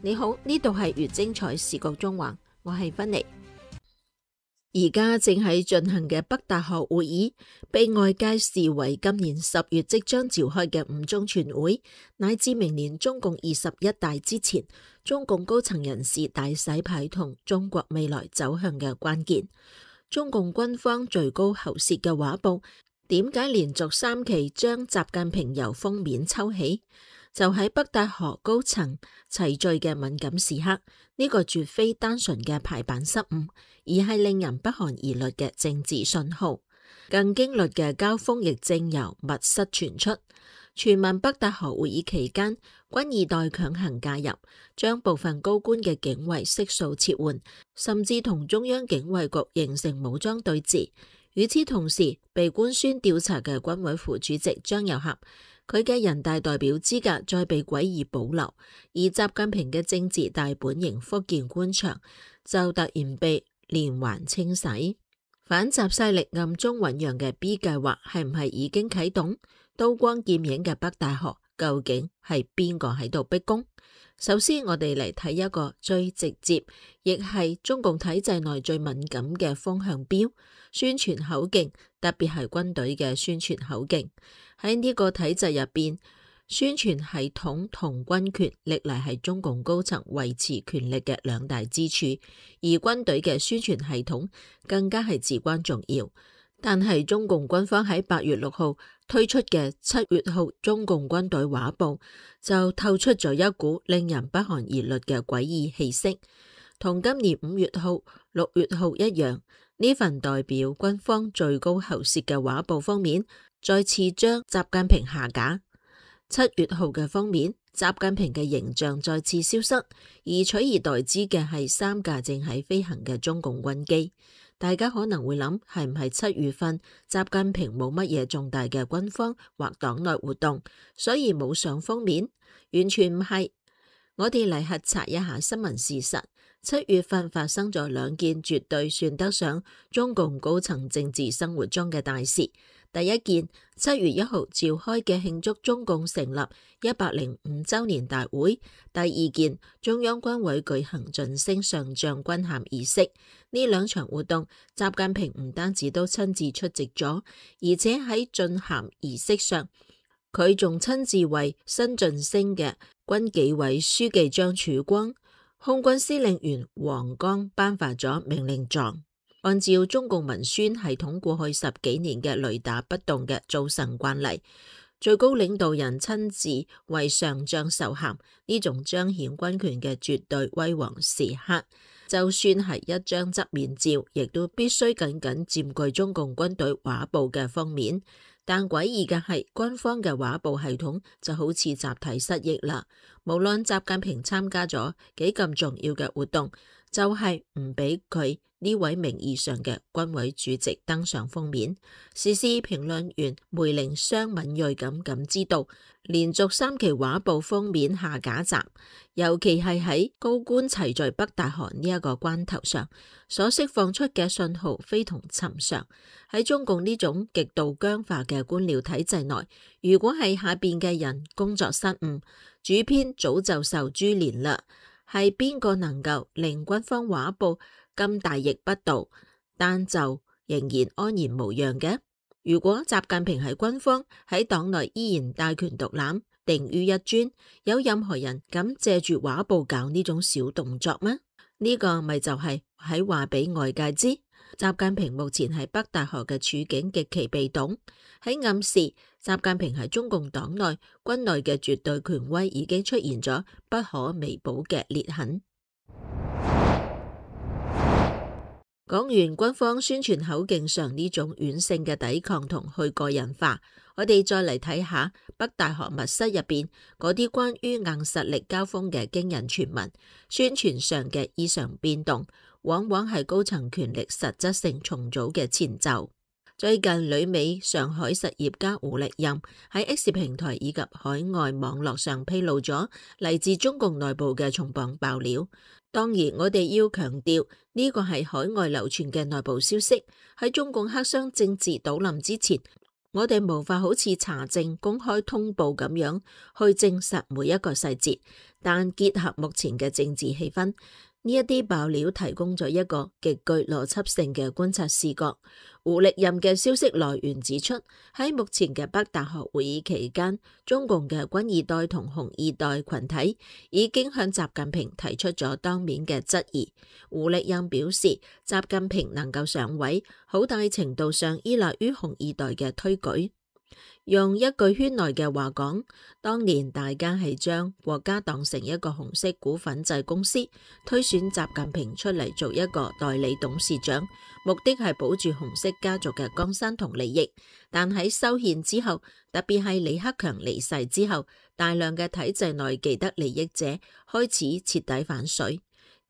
你好，呢度係越精彩視覺中環，我係芬妮。而家正喺進行嘅北大學會議，被外界視為今年10月即將召開嘅五中全會，乃至明年中共21大之前，中共高層人士大洗牌同中國未來走向嘅關鍵。中共軍方最高喉舌嘅畫報，點解連續3期將習近平由封面抽起？就喺北大學高層齊聚嘅敏感時刻，呢個絕非單純嘅排版失誤，而係令人不寒而慄嘅政治信號。更驚慄嘅交鋒亦正由密室傳出，傳聞北大學會議期間，軍二代強行介入，將部分高官嘅警衛悉數撤換，甚至同中央警衛局形成武裝對峙。與此同時，被官宣調查嘅軍委副主席張又俠，佢嘅人大代表資格再被詭異保留，而習近平嘅政治大本營福建官場就突然被連環清洗。反習勢力暗中醞釀嘅 B 計劃係唔係已經啟動？刀光劍影嘅北大學究竟係邊個喺度逼宮？首先，我哋嚟睇一個最直接，亦係中共體制內最敏感嘅風向標——宣傳口徑，特別係軍隊嘅宣傳口徑。喺呢個體制入邊，宣傳系統同軍權歷來係中共高層維持權力嘅兩大支柱，而軍隊嘅宣傳系統更加係至關重要。但係中共軍方喺8月6號推出嘅7月號中共軍隊畫報就透出咗一股令人不寒而慄嘅詭異氣息。同今年5月號、6月號一樣，呢份代表軍方最高喉舌嘅畫報封面再次將習近平下架。7月號嘅封面，習近平嘅形象再次消失，而取而代之嘅係3架正喺飛行嘅中共軍機。大家可能會諗，係唔係7月份習近平冇乜嘢重大嘅軍方或黨內活動，所以冇上封面？完全唔係。我哋嚟核查一下新聞事實。7月份發生咗2件絕對算得上中共高層政治生活中嘅大事。第一件，7月1號召開嘅慶祝中共成立105週年大會；第二件，中央軍委舉行晉升上將軍銜儀式。呢2場活動，習近平唔單止都親自出席咗，而且喺晉銜儀式上，佢仲親自為新晉升嘅軍紀委書記張曙光、空軍司令員黃剛頒發咗命令狀。按照中共文宣系統過去10幾年嘅雷打不動嘅造神慣例，最高領導人親自為上將授銜，呢種彰顯軍權嘅絕對威煌時刻，就算係一張側面照，亦都必須緊緊佔據中共軍隊畫報嘅封面。但詭異嘅係，軍方嘅畫報系統就好似集體失憶啦。無論習近平參加咗幾咁重要嘅活動，就係唔俾佢呢位名義上嘅軍委主席登上封面。時事評論員梅玲雙敏銳咁感知到，連續3期畫報封面下架集，尤其係喺高官齊聚北大學呢一個關頭上，所釋放出嘅信號非同尋常。喺中共呢種極度僵化嘅官僚體制內，如果係下邊嘅人工作失誤，主編早就受株連啦。係邊個能夠令軍方畫報咁大逆不道，但就仍然安然無恙嘅？如果習近平喺軍方喺黨內依然大權獨攬，定於一尊，有任何人敢借住畫報搞呢種小動作嗎？呢個咪就係喺話俾外界知，習近平目前喺北大學嘅處境極其被動，喺暗示習近平喺中共黨內軍內嘅絕對權威已經出現咗不可彌補嘅裂痕。講完軍方宣傳口徑上呢種軟性嘅抵抗同去個人化，我哋再嚟睇下北大學密室入邊嗰啲關於硬實力交鋒嘅驚人傳聞，宣傳上嘅異常變動，往往係高層權力實質性重組嘅前奏。最近旅美上海實業家胡力任喺 X 平台以及海外網絡上披露咗嚟自中共內部嘅重磅爆料。當然，我哋要強調呢個係海外流傳嘅內部消息，喺中共黑箱政治倒冧之前，我哋無法好似查證公開通報咁樣去證實每一個細節，但結合目前嘅政治氣氛，呢一啲爆料提供咗一個極具邏輯性嘅觀察視角。胡歷任嘅消息來源指出，喺目前嘅北大學會議期間，中共嘅軍二代同紅二代群體已經向習近平提出咗當面嘅質疑。胡歷任表示，習近平能夠上位，好大程度上依賴於紅二代嘅推舉。用一句圈內嘅話講，當年大家係將國家當成一個紅色股份制公司，推選習近平出嚟做一個代理董事長，目的係保住紅色家族嘅江山同利益。但喺修憲之後，特別係李克強離世之後，大量嘅體制內既得利益者開始徹底反水。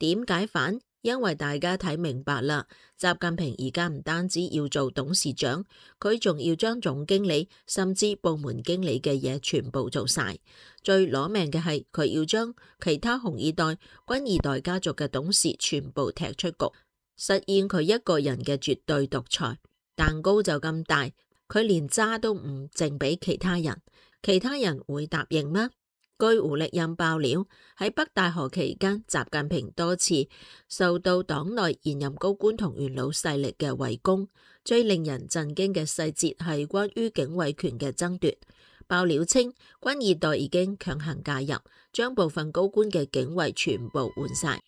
點解反？因為大家睇明白啦，習近平而家唔單止要做董事長，佢仲要將總經理甚至部門經理嘅嘢全部做晒。最攞命嘅係佢要將其他紅二代、軍二代家族嘅董事全部踢出局，實現佢一個人嘅絕對獨裁。蛋糕就咁大，佢連渣都唔剩俾其他人，其他人會答應嗎？據胡歷任爆料，喺北大學期間，習近平多次受到黨內現任高官同元老勢力嘅圍攻。最令人震驚嘅細節係關於警衛權嘅爭奪。爆料稱，軍二代已經強行介入，將部分高官嘅警衛全部換晒，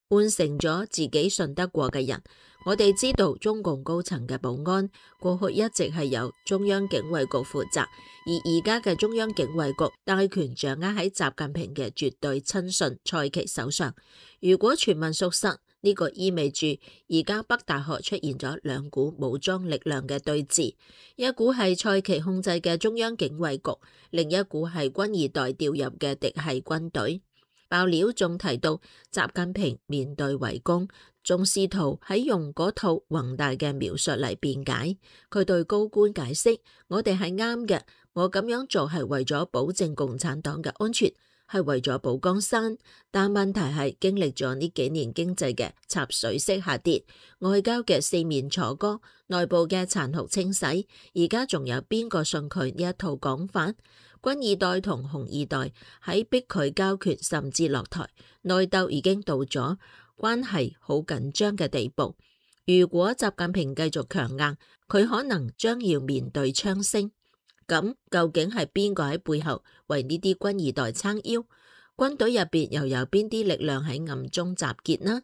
換成咗自己信得過嘅人。我哋知道中共高層嘅保安過去一直係由中央警衛局負責，而而家嘅中央警衛局大權掌握喺習近平嘅絕對親信蔡奇手上。如果傳聞屬實，呢個意味住而家北大學出現咗兩股武裝力量嘅對峙，一股係蔡奇控制嘅中央警衛局，另一股係軍二代調入嘅嫡系軍隊。爆料仲提到，習近平面對圍攻，仲試圖喺用嗰套宏大嘅描述嚟辯解。佢對高官解釋：我哋係啱嘅，我咁樣做係為咗保證共產黨嘅安全，係為咗保江山。但問題係經歷咗呢幾年經濟嘅插水式下跌，外交嘅四面楚歌，內部嘅殘酷清洗，而家仲有邊個信佢呢一套講法？軍二代同紅二代喺逼佢交權甚至落台，內鬥已經到咗關係好緊張嘅地步。如果習近平繼續強硬，佢可能將要面對槍聲。咁究竟係邊個喺背後為呢啲軍二代撐腰？軍隊入邊又有邊啲力量喺暗中集結呢？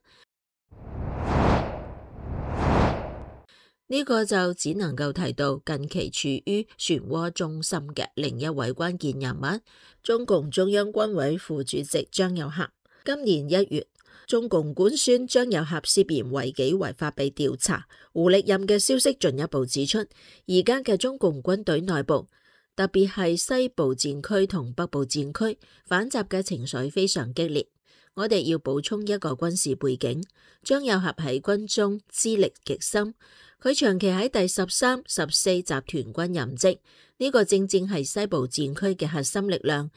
呢個就只能夠提到近期處於漩渦中心嘅另一位關鍵人物，中共中央軍委副主席張又俠。今年1月，中共官宣張又俠涉嫌違紀違法被調查。胡歷任嘅消息進一步指出，而家嘅中共軍隊內部，特別係西部戰區同北部戰區，反習嘅情緒非常激烈。我哋要補充一個軍事背景，張又俠喺軍中資歷極深。佢長期喺第13、14集團軍任職，呢個正正係西部戰區嘅核心力量。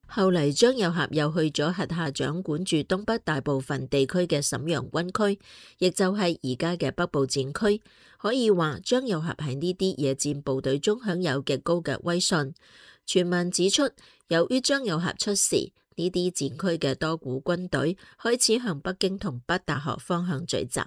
後嚟張又俠又去咗轄下掌管住東北大部分地區嘅瀋陽軍區，亦就係而家嘅北部戰區。可以話張又俠喺呢啲野戰部隊中享有極高嘅威信。傳聞指出，由於張又俠出事，呢啲戰區嘅多股軍隊開始向北京同北大學方向聚集。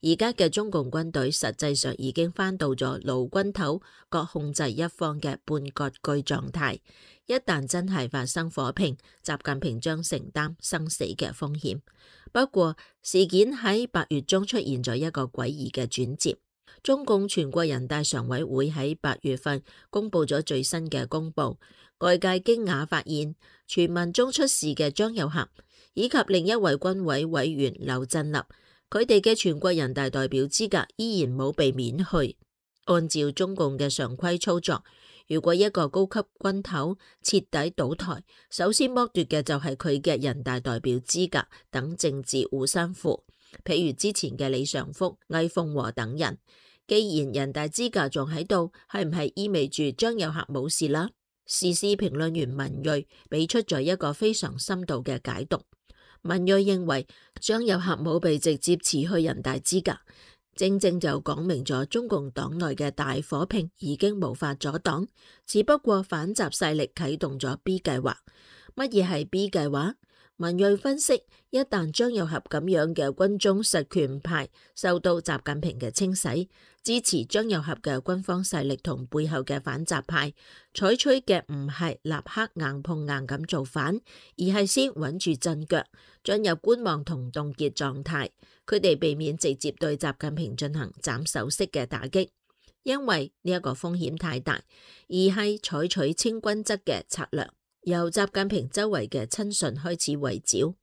而家嘅中共軍隊實際上已經翻到咗老軍頭各控制一方嘅半割據狀態。一旦真係發生火拼，習近平將承擔生死嘅風險。不過事件喺8月中出現咗一個詭異嘅轉折。中共全國人大常委會喺8月份公布咗最新嘅公報，外界驚訝發現傳聞中出事嘅張又俠以及另一位軍委委員劉振立，佢哋嘅全國人大代表資格依然冇被免去。按照中共嘅常規操作，如果一個高級軍頭徹底倒台，首先剝奪嘅就係佢嘅人大代表資格等政治護身符，譬如之前嘅李尚福、魏鳳和等人。既然人大資格仲喺度，係唔係意味住張又俠冇事啦？時事評論員文銳俾出咗一個非常深度嘅解讀。文銳認為張又俠冇被直接辭去人大資格，正正就講明咗中共黨內嘅大火拼已經無法阻擋，只不過反習勢力啟動咗 B 計劃。乜嘢係 B 計劃？文銳分析，一旦張又俠咁樣嘅軍中實權派受到習近平嘅清洗，支持張又俠嘅軍方勢力同背後嘅反習派採取嘅唔係立刻硬碰硬咁造反，而係先穩住陣腳，進入觀望同凍結狀態。佢哋避免直接對習近平進行斬首式嘅打擊，因為呢一個風險太大，而係採取清君側嘅策略。由習近平周圍嘅親信開始圍剿。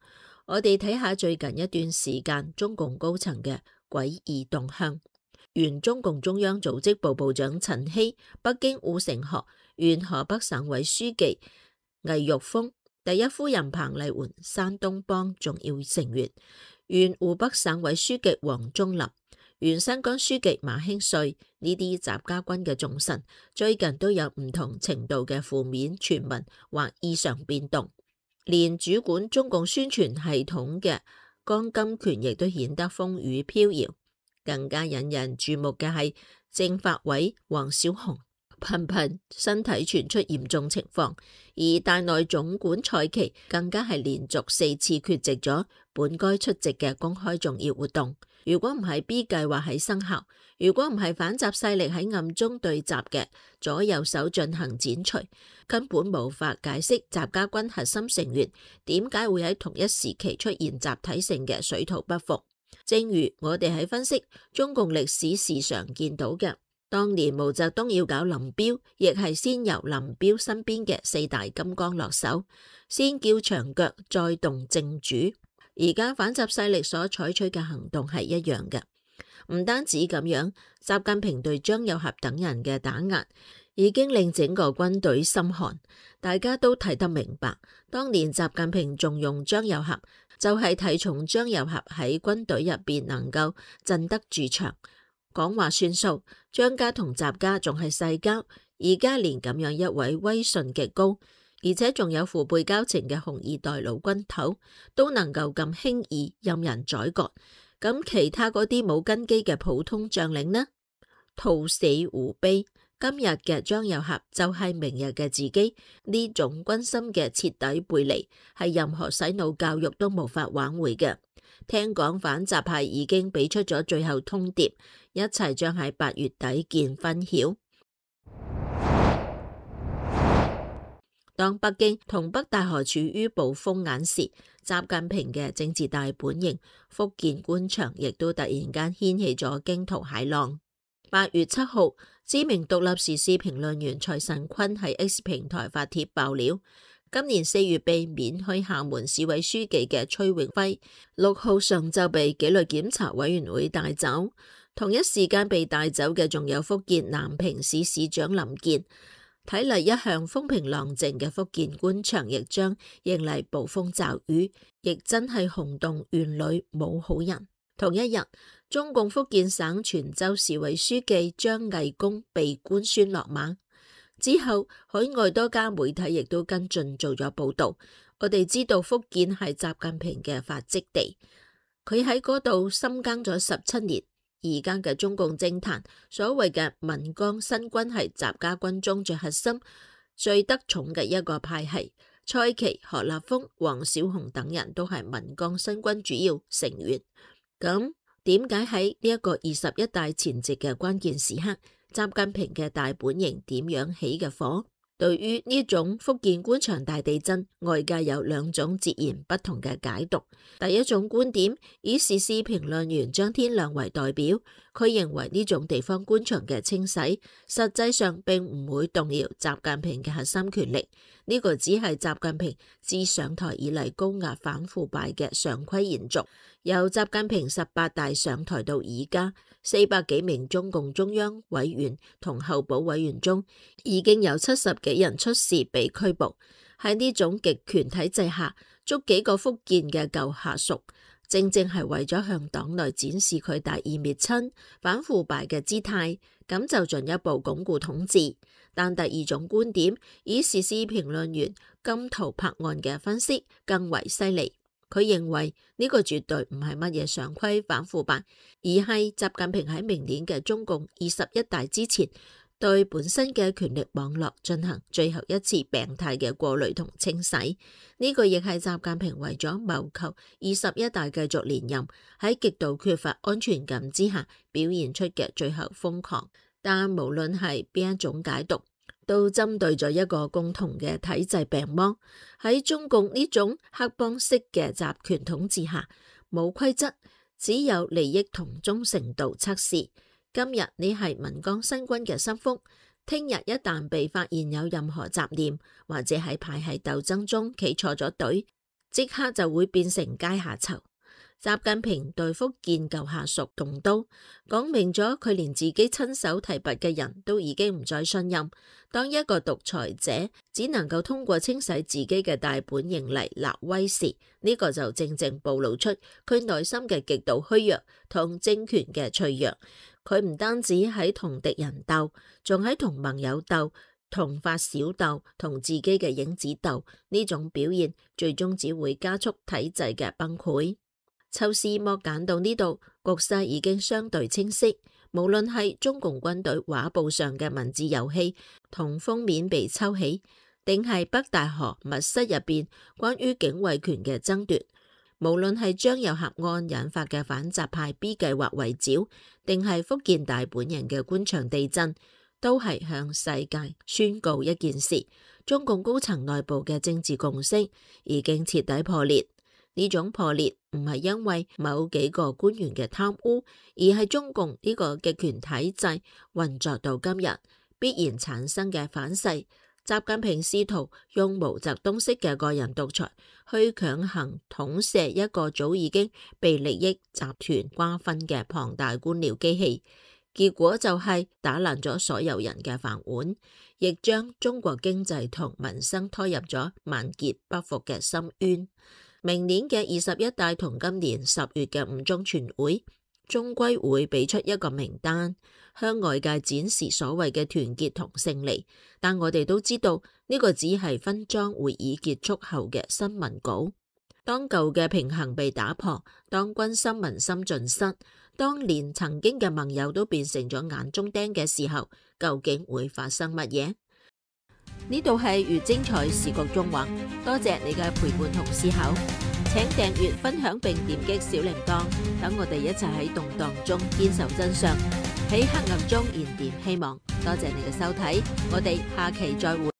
我哋睇下最近一段時間中共高層嘅詭異動向。原中共中央組織部部長陳希、北京護城河原河北省委書記魏玉峰、第一夫人彭麗媛山東幫重要成員，原湖北省委書記王忠林、原新疆書記馬興瑞呢啲習家軍嘅重臣，最近都有唔同程度嘅負面傳聞或異常變動，連主管中共宣傳系統嘅江金權亦都顯得風雨飄搖。更加引人注目嘅係政法委王小洪頻頻身體傳出嚴重情況，而大內總管蔡奇更加係連續4次缺席咗本該出席嘅公開重要活動。如果唔係 B 計劃喺生效，如果唔係反習勢力喺暗中對習嘅左右手進行剪除，根本無法解釋習家軍核心成員點解會喺同一時期出現集體性嘅水土不服。正如我哋喺分析中共歷史時常見到嘅，當年毛澤東要搞林彪，亦係先由林彪身邊嘅4大金剛落手，先叫長腳，再動正主。而家反習勢力所採取嘅行動係一樣嘅，唔單止咁樣，習近平對張又俠等人嘅打壓已經令整個軍隊心寒。大家都睇得明白，當年習近平重用張又俠，就係睇重張又俠喺軍隊入邊能夠鎮得住場，講話算數。張家同習家仲係世交，而家連咁樣一位威信極高，而且仲有父輩交情嘅紅二代老軍頭都能夠咁輕易任人宰割，咁其他嗰啲冇根基嘅普通將領呢？兔死狐悲。今日嘅張又俠就係明日嘅自己，呢種軍心嘅徹底背離係任何洗腦教育都無法挽回嘅。聽講反習派已經俾出咗最後通牒，一齊將喺8月底見分曉。當北京同北大河處於暴風眼時，習近平嘅政治大本營福建官場亦都突然間掀起咗驚濤駭浪。8月7號，知名獨立時事評論員蔡慎坤喺 X 平台發帖爆料，今年4月被免去廈門市委書記嘅崔永輝，6號上晝被紀律檢查委員會帶走。同一時間被帶走嘅仲有福建南平市市長林健。睇嚟一向風平浪靜嘅福建官場亦將迎嚟暴風驟雨，亦真係轟動縣裏冇好人。同一日，中共福建省泉州市委書記張毅公被官宣落馬之後，海外多家媒體亦都跟進做咗報道。我哋知道福建係習近平嘅發跡地，佢喺嗰度深耕咗17年。而家嘅中共政壇，所謂嘅岷江新軍係習家軍中最核心、最得寵嘅一個派系。蔡奇、何立峰、王小洪等人都係岷江新軍主要成員。咁點解喺呢一個21大前夕嘅關鍵時刻，習近平嘅大本營點樣起嘅火？對於呢種福建官場大地震，外界有2種截然不同嘅解讀。第一種觀點以時事評論員張天亮為代表，佢認為呢種地方官場嘅清洗，實際上並唔會動搖習近平嘅核心權力。呢個只係習近平自上台以嚟高壓反腐敗嘅常規延續。由習近平18大上台到而家，400幾名中共中央委員同候補委員中，已經有70幾人出事被拘捕。喺呢種極權體制下，捉幾個福建嘅舊下屬，正正係為咗向黨內展示佢大義滅親、反腐敗嘅姿態，咁就進一步鞏固統治。但第二種觀點，以時事評論員金濤柏案嘅分析更為犀利。佢認為呢個絕對唔係乜嘢常規反腐敗，而係習近平喺明年嘅中共21大之前，對本身嘅權力網絡進行最後一次病態嘅過濾同清洗。呢個亦係習近平為咗謀求21大繼續連任，喺極度缺乏安全感之下表現出嘅最後瘋狂。但無論係邊一種解讀，都針對咗一個共同嘅體制病魔。喺中共呢種黑幫式嘅集權統治下，冇規則，只有利益同忠誠度測試。今日你係岷江新軍嘅心腹，聽日一旦被發現有任何雜念，或者喺派系鬥爭中企錯咗隊，即刻就會變成階下囚。習近平對福建舊下屬動刀，講明咗佢連自己親手提拔嘅人都已經唔再信任。當一個獨裁者只能夠通過清洗自己嘅大本營嚟立威時，呢個就正正暴露出佢內心嘅極度虛弱同政權嘅脆弱。佢唔單止喺同敵人鬥，仲喺同盟友鬥，同發小鬥，同自己嘅影子鬥。呢種表現最終只會加速體制嘅崩潰。抽絲剝繭到呢度，局勢已經相對清晰。無論係中共軍隊畫布上嘅文字遊戲同封面被抽起，定係北大河密室入邊關於警衛權嘅爭奪，無論係張又俠案引發嘅反習派 B 計劃圍剿，定係福建大本營嘅官場地震，都係向世界宣告一件事：中共高層內部嘅政治共識已經徹底破裂。呢種破裂唔係因為某幾個官員嘅貪污，而係中共呢個極權體制運作到今日必然產生嘅反噬。習近平試圖用毛澤東式嘅個人獨裁去強行統攝一個早已經被利益集團瓜分嘅龐大官僚機器，結果就係打爛咗所有人嘅飯碗，亦將中國經濟同民生拖入咗萬劫不復嘅深淵。明年嘅21大同今年10月嘅5中全會，終歸會俾出一個名單，向外界展示所謂嘅團結同勝利。但我哋都知道呢個只係分贓會議結束後嘅新聞稿。當舊嘅平衡被打破，當軍心民心盡失，當連曾經嘅盟友都變成咗眼中釘嘅時候，究竟會發生乜嘢？呢度係越精彩視覺縱橫，多謝你嘅陪伴同思考，請訂閱、分享並點擊小鈴鐺，等我哋一齊喺動盪中堅守真相，喺黑暗中燃點希望。多謝你嘅收睇，我哋下期再會。